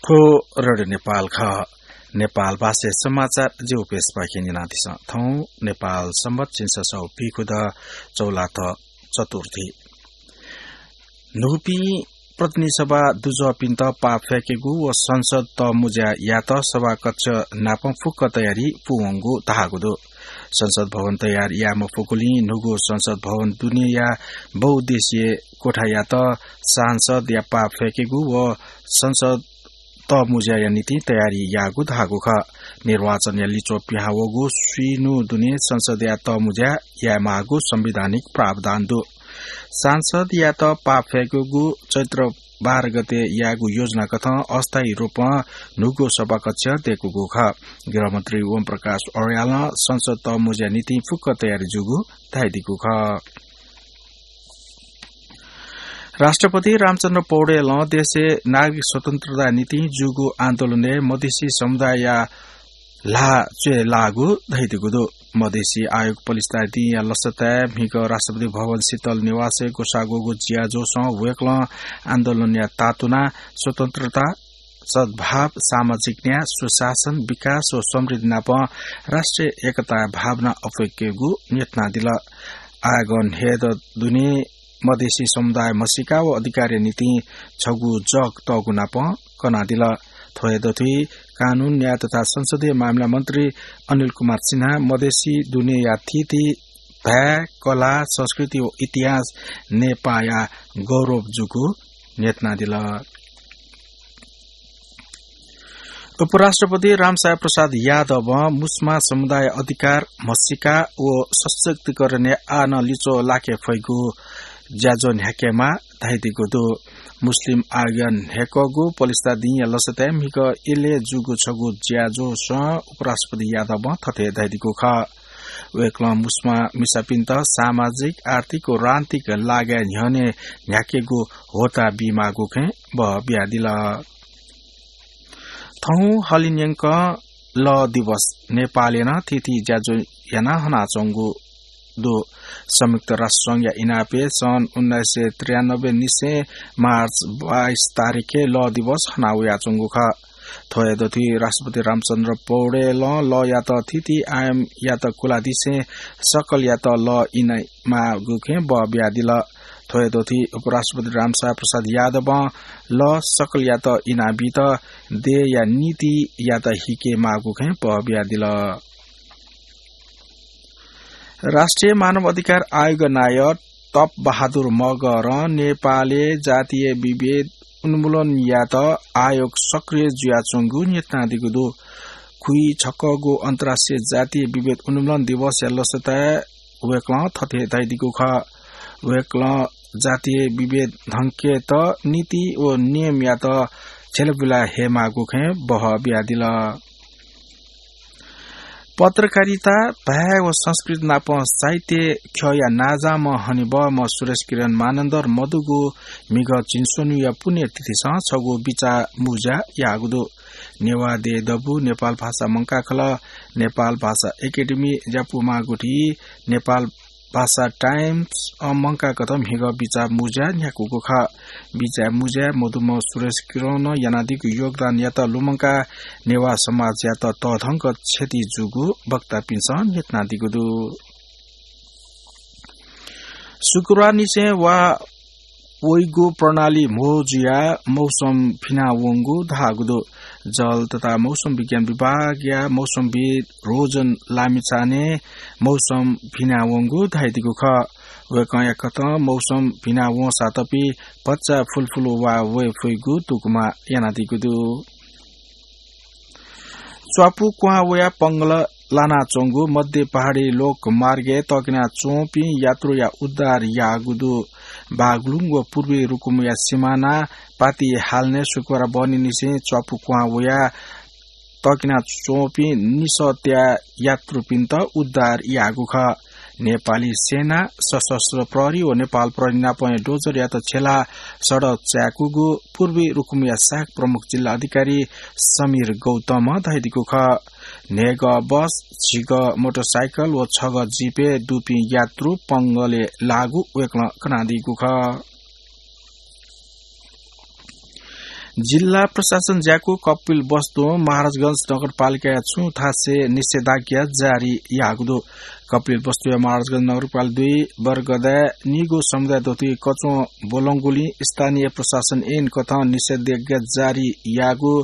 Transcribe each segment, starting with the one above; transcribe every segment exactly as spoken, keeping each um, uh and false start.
को रेडियो नेपाल खः। नेपाल भाषाय् समाचार जिगु पेजपाखें न्यनादिसँ। थौं नेपाल संवत् झिंछसः व पीखुदँ चौलाथ्व चतुर्थी। न्हूपिं प्रतिनिधि सभा दुजःपिन्त पाः फ्यकेगु व संसद तःमुँज्या यायेत सभाकक्ष नाप फुक्क तयारी पूवंगु धाःगु दु। संसद भवन तयार याये मफुगुलिं न्हूगु संसद भवन दुनेया बहुउद्देश्यीय कोठायात सांसदया पाः फ्यकेगु व संसद तःमुँज्याया निंतिं तयारी याःगु धाःगु खः। निर्वाचनया लिच्वः पिहां वःगु स्वीन्हू दुने संसदया तःमुँज्या यायेमाःगु संवैधानिक प्रावधान दु। सांसदयात पाः फ्यकेगु चैत्र बाह्र गते यायेगु योजना कथं अस्थायी रूपं न्हूगु सभाकक्ष दयेकूगु खः। गृहमन्त्री ओम प्रकाश अर्यालं संसद तःमुँज्या निंतिं फुक्क तयारी जूगु धयादीगु खः। राष्ट्रपति रामचन्द्र पौडेलं देशय् नागरिक स्वतन्त्रताया निंतिं जूगु आन्दोलनय् मधेसी समुदायया ल्हाः च्वय् लाःगु धयादीगु दु। मधेसी आयोग पलिस्था दिंया लसताय् म्हिगः राष्ट्रपति भवन शीतल निवासय् ग्वसाः ग्वःगु ज्याझ्वलय् वय्कलं आन्दोलनया तातुना स्वतन्त्रता, सद्भाव, सामाजिक न्याय, सुशासन, विकास व समृद्धि नाप राष्ट्रिय एकताया भावना अप्वय्केगु न्ह्यथनादिल। आयोगं न्हय्दँ दुने मधेसी समुदाय म्हसीका व अधिकारया निंतिं छगू जग तःगु नाप कनादिल। थ्व हे दथुइ कानून, न्याय तथा संसदीय मामिला मन्त्री अनिल कुमार सिन्हां मधेसी दुनेया थीथी भाय्, कला, संस्कृति व इतिहास नेपाःया गौरव जूगु न्ह्यथनादिल। उपराष्ट्रपति रामसाय प्रसाद यादवं मुस्मा समुदाय अधिकार, म्हसीका व सशक्तिकरणय् आः नं लिच्वः लाके फइगु ज्याझ्वः न्ह्याकेमाः धयादीगु दु। मुस्लिम आयोगं न्ह्याकूगु पलिस्था दिंया लसताय् म्हिगः इलय् जूगु छगू ज्याझ्वलय् उपराष्ट्रपति यादवं थथे धयादीगु खः। वय्कलं मुस्मा मिसापिन्त सामाजिक, आर्थिक व राजनीतिक लागाय् न्ह्यःने न्ह्याकेगु ह्वःताः बीमाःगु खँय् बहः बियादिल। थौं हलिंन्यंक लः दिवस। नेपालय् नं थीथी ज्याझ्वः यानाः हनाच्वंगु दु। संयुक्त राष्ट्र संघया इनापय् सन् उन्नाइस सय त्रियानब्बे निसें मार्च बाइस तारिखय् लः दिवस हना वयाच्वंगु खः। थ्व हे दथुइ राष्ट्रपति रामचन्द्र पौडेलं लःयात थीथी आयामयात कुलादिसें सकलयात लः इनामाःगु खँय् बहः बियादिल। थ्व हे दथुइ उपराष्ट्रपति रामसाय प्रसाद यादवं लः सकलयात इनाबीत देय्या नीतियात हिकेमाःगु खँय् बहः बियादिल। राष्ट्रिय मानव अधिकार आयोग नायः तप बहादुर मगरं नेपालय् जातीय विभेद उन्मूलन यायेत आयोग सक्रिय जुयाच्वंगु न्ह्यथनादीगु दु। खुइछक्वःगु अन्तर्राष्ट्रिय जातीय विभेद उन्मूलन दिवसया लसताय् वय्कलं थथे धयादीगु खः। वय्कलं जातीय विभेद धंकेत नीति व नियमयात झ्यलबुला हयेमाःगु खँय् बहः बियादिल। पत्रकारिता, भाय् व संस्कृति नाप साहित्य ख्यःया नांजाःम्ह हनेबहःम्ह सुरेश किरण मानन्धर मदुगु म्हिगः झिंस्वन्हुया पुण्यतिथिसं छगू बिचाः मुँज्या याःगु दु। नेवाः देय् दबू, नेपाल भाषा मंकाः खलः, नेपाल भाषा एकेडेमी ज्यापू माःगुथी, नेपाल भाषा टाइम्सं मंकाःगु म्हिगः बिचाः मुँज्या न्ह्याकूगु खः। बिचाः मुँज्याय् मदुम्ह सुरेश किरणं यानादीगु योगदानयात लुमंकाः नेवाः समाजयात तःधंक क्षति जूगु वक्तापिन्सं न्ह्यथनादीगु दु। शुक्रबारनिसें वा वइगु प्रणाली म्हो जुयाः मौसम भिनावंगु धाःगु दु। जल तथा मौसम विज्ञान विभागया मौसमविद् रोजन लामिछानें मौसम भिनावंगु धयादीगु खः। वय्कःया कथं मौसम भिनावंसा तपि भचा फुलफुल वा वये फइगु दुगुमा यानादीगु दु। च्वापु क्वहां वयाः पंगल लानाच्वंगु मध्य पहाडी लोकमार्गय् तःकिना च्वंपिं यात्रुया उद्धार याःगु दु। बागलुङ व पूर्वी रुकुमया सिमाना पाति हालनय् शुक्रबार बहनीनिसें च्वापु क्वहां वयाः तःकिना च्वंपिं निसःत्या यात्रुपिन्त उद्धार याःगु खः। नेपाली सेना, सशस्त्र प्रहरी व नेपाल प्रहरी नापं डोजरयात छ्यलाः सडक चाय्कूगु पूर्वी रुकुमया सहायक प्रमुख जिल्ला अधिकारी समीर गौतमं धयादीगु खः। न्हय्गः बस, झिगः मोटरसाइकल व छगः जीपय् दुपिं यात्रु पंगलय् लाःगु वय्कलं कनादीगु खः। जिल्ला प्रशासन ज्याकू कपिलवस्तुं महाराजगंज नगरपालिकाया छुं थासय् निषेधाज्ञा जारी याःगु दु। कपिलवस्तुया महाराजगंज नगरपालिका दुई वर्गदाय् निगू समुदाय दथुइ कच्वं ब्वलंगुलिं स्थानीय प्रशासन ऐन कथं निषेधाज्ञा जारी याःगु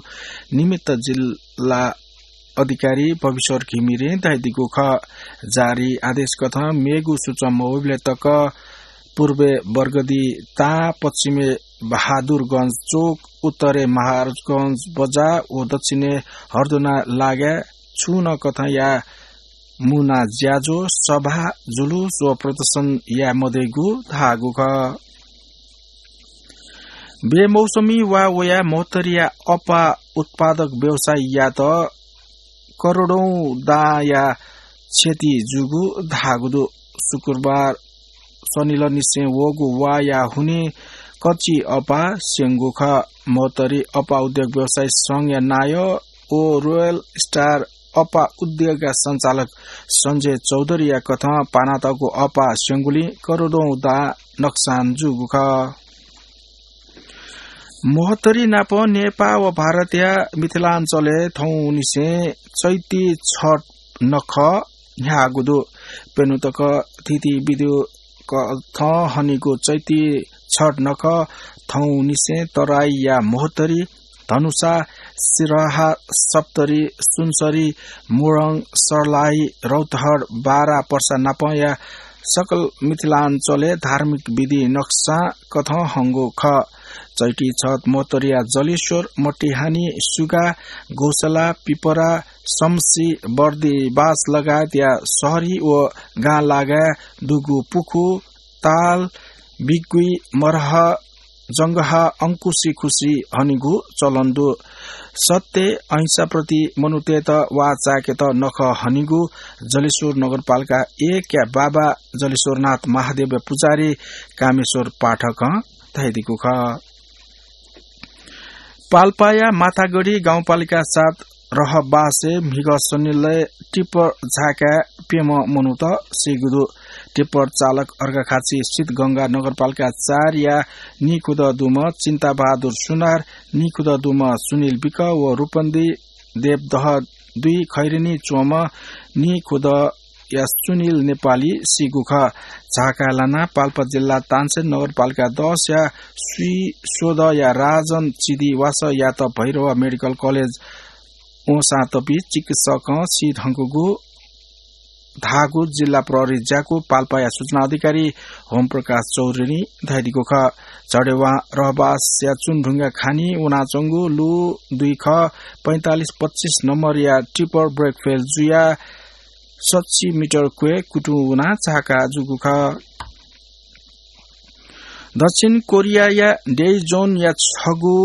निमित्त जिल्ला अधिकारी भविश्वर घिमिरें धयादीगु खः। जारी आदेश कथं मेगु सूचं मवइबलय् तक पूर्वय् बर्गदी तां, पश्चिमय् बहादुरगंज चोक, उत्तरय् महाराजगंज बजार व दक्षिणय् हर्दुना लागाय् छुं नं कथंया मुना ज्याझ्वः, सभा, जुलुस व प्रदर्शन याये मदइगु धाःगु खः। बेमौसमी वा वयाः महोत्तरीया अप्वः उत्पादक व्यवसायीयात करोडौं दांया क्षति जूगु धाःगु दु। शुक्रबार सनिलनिसें वःगु वाया हुनिं कच्वः अप्वः स्यंगु खः। महोत्तरी अप्वः उद्योग व्यवसायी संघया नायः व रोयल स्टार अप्वः उद्योगया सञ्चालक सञ्जय चौधरीया कथं पानातःगु अप्वः स्यंगुलिं करोडौं दां नक्सान जूगु खः। महोत्तरी नाप नेपाः व भारतया मिथिलाञ्चलय् थौंनिसें चैती छठ नखः न्ह्याःगु दु। प्यन्हु तक थिति बिद्यु कथं हनीगु चैती छठ नखः थौंनिसें तराईया महोत्तरी, धनुषा, सिरहा, सप्तरी, सुनसरी, मोरङ, सर्लाही, रौतहट, बारा, पर्सा नापंया सकल मिथिलाञ्चलय् धार्मिक विधि नक्सां कथं हंगु खः। चैती छठ महोत्तरीया जलेश्वर, मटिहानी, सुगा, गौसला, पिपरा, समसी, बर्दिबास लगायतया शहरी व गां लागाय् दुगु पुखू, ताल, बिगुइ, मरह, जंगह, अंकुसी खुसी हनीगु चलन दु। सत्य अहिंसाप्रति मनूतय्त वाः चाय्केत नखः हनीगु जलेश्वर नगरपालिका एकया बाबा जलेश्वरनाथ महादेवया पुजारी कामेश्वर पाठकं धयादीगु खः। पाल्पाया माथागढी गाउँपालिका सात रहबासय् म्हिगः सनिलय् टिप्पर झाय्काय् प्यम्ह मनूत सीगु दु। टिप्पर चालक अर्घाखाँची स्थित गंगा नगरपालिका चारया नीखुदँ दुम्ह चिन्ताबहादुर सुनार, नीखुदँ दुम्ह सुनिल विक व रूपन्दी देवदह दुई खैरेनी च्वंम्ह नीखुदँया सुनिल नेपाली सीगु खः। झाय्काय् लानाः पाल्पा जिल्ला तानसेन नगरपालिका दसया स्वीस्वदँया राजन चिदी वासःयात भैरवा मेडिकल कलेज वंसां तपि चिकित्सकं सी धंकूगु धाःगु जिल्ला प्रहरी ज्याकू पाल्पाया सूचना अधिकारी होमप्रकाश चौधरीं धयादीगु खः। झडेवां रहबासया चुनढुङ्गा खानी वनाच्वंगु लु दुई ख पैंतालिस पच्चिस नम्बरया टिप्पर ब्रेक फेल जुयाः सच्छि मिटर क्वय् कुतुं वनाः झाय्का जूगु खः। दक्षिण कोरियाया डेइजोनया छगू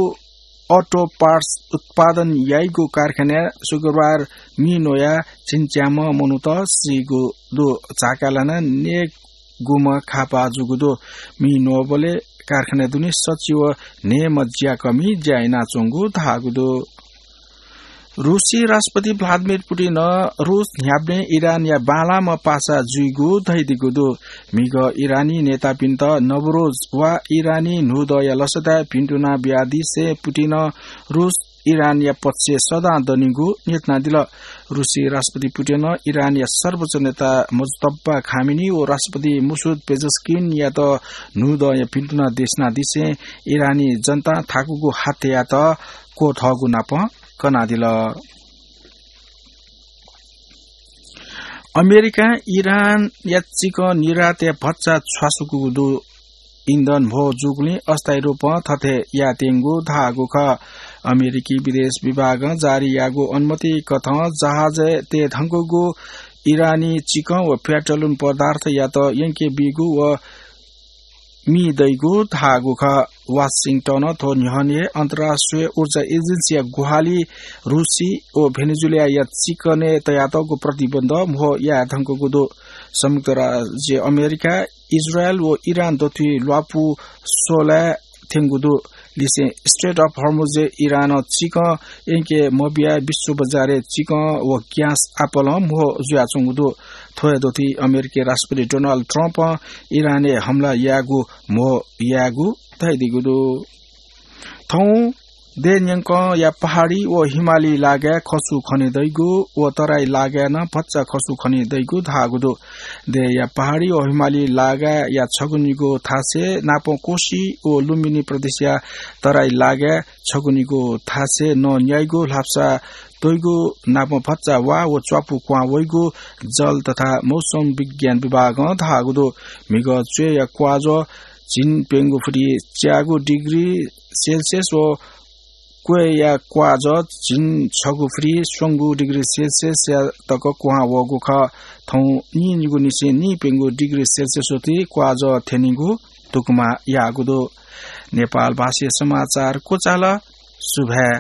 अटो पार्ट्स उत्पादन याइगु कारखानाय् शुक्रबार मि न्वयाः झिंच्याम्ह मनूत सीगु दु। झाय्का लानाः नयेगुम्ह खापा जूगु दु। मि न्वःबलय् कारखानाय् दुने सच्छि व न्हय्म्ह ज्याकःमि ज्या यानाच्वंगु धाःगु दु। रूसी राष्ट्रपति भ्लादिमिर पुटिनं रूस न्ह्याबलें इरानया बांलाःम्ह पासा जुइगु धयादीगु दु। म्हिगः इरानी नेतापिन्त नवरोज वा इरानी न्हूदँया लसताय् भिन्तुना बियादिसें पुटिनं रूस इरानया पक्षय् सदां दनिगु न्ह्यथनादिल। रूसी राष्ट्रपति पुटिनं इरानया सर्वोच्च नेता मुजतब्बा खामेनी व राष्ट्रपति मसुद पेजस्किनयात न्हूदँया भिन्तुना देछानादिसें इरानी जनतां थाकूगु हत्यायात क्वथःगु नाप कनादिल। अमेरिकां इरानया चिकन निर्यातय् भचा छ्वासुकूगु दु। इन्धन म्हो जूगुलिं अस्थायी रूपं थथे यायेत्यंगु धाःगु खः। अमेरिकी विदेश विभागं जारी याःगु अनुमति कथं जहाजय् तये धंकूगु इरानी चिकन व पेट्रोलियम पदार्थयात यंके बीगु व मि दइगु धाःगु खः। वाशिंटनं थ्व न्ह्यःने अन्तर्राष्ट्रिय ऊर्जा एजेन्सीया ग्वाहालि रूसी व भेनेजुएलाया चिकनय् तयातःगु प्रतिबन्ध म्हो याये धंकूगु दु। संयुक्त राज्य अमेरिका, इजरायल व इरान दथुइ ल्वापु स्वलाय् थ्यंगु दु। लिसें स्ट्रेट अफ हर्मुजय् इरानं चिकन यंके मबियाः विश्व बजारय् चिकन व ग्यास आपालं म्हो जुयाच्वंगु दु। थ्व हे दथुइ अमेरिकी राष्ट्रपति डोनाल्ड ट्रम्पं इरानय् हमला यायेगु म्हो यायेगु धयादीगु दु। थौं देय् न्यंकंया पहाडी व हिमाली लागाय् खसु खने दइगु व तराई लागाय् नं भचा खसु खने दइगु धाःगु दु। देय्‌या पहाडी व हिमाली लागाय्‌या छगू निगू थासय् नापं कोशी व लुम्बिनी प्रदेशया तराई लागाय् छगू निगू थासय् नं न्याइगु ल्हापसा त्वइगु नापं भचा वा व च्वापु क्वहां वइगु जल तथा मौसम विज्ञान विभागं धाःगु दु। म्हिगः च्वय्‌या क्वाःज्वः झिंप्यंगू फुति च्यागू डिग्री सेल्सियस व क्वय्‌या क्वाःज्वः झिंछगू फुति स्वंगू डिग्री सेल्सियस तक क्वहां वःगु खः। थौं नीनिगू निसें नीप्यंगू डिग्री सेल्सियस वति क्वाःज्वः थ्यनीगु धुकुमा याःगु दु। नेपाल भाषाय् समाचार क्वचाल। सुभाय्।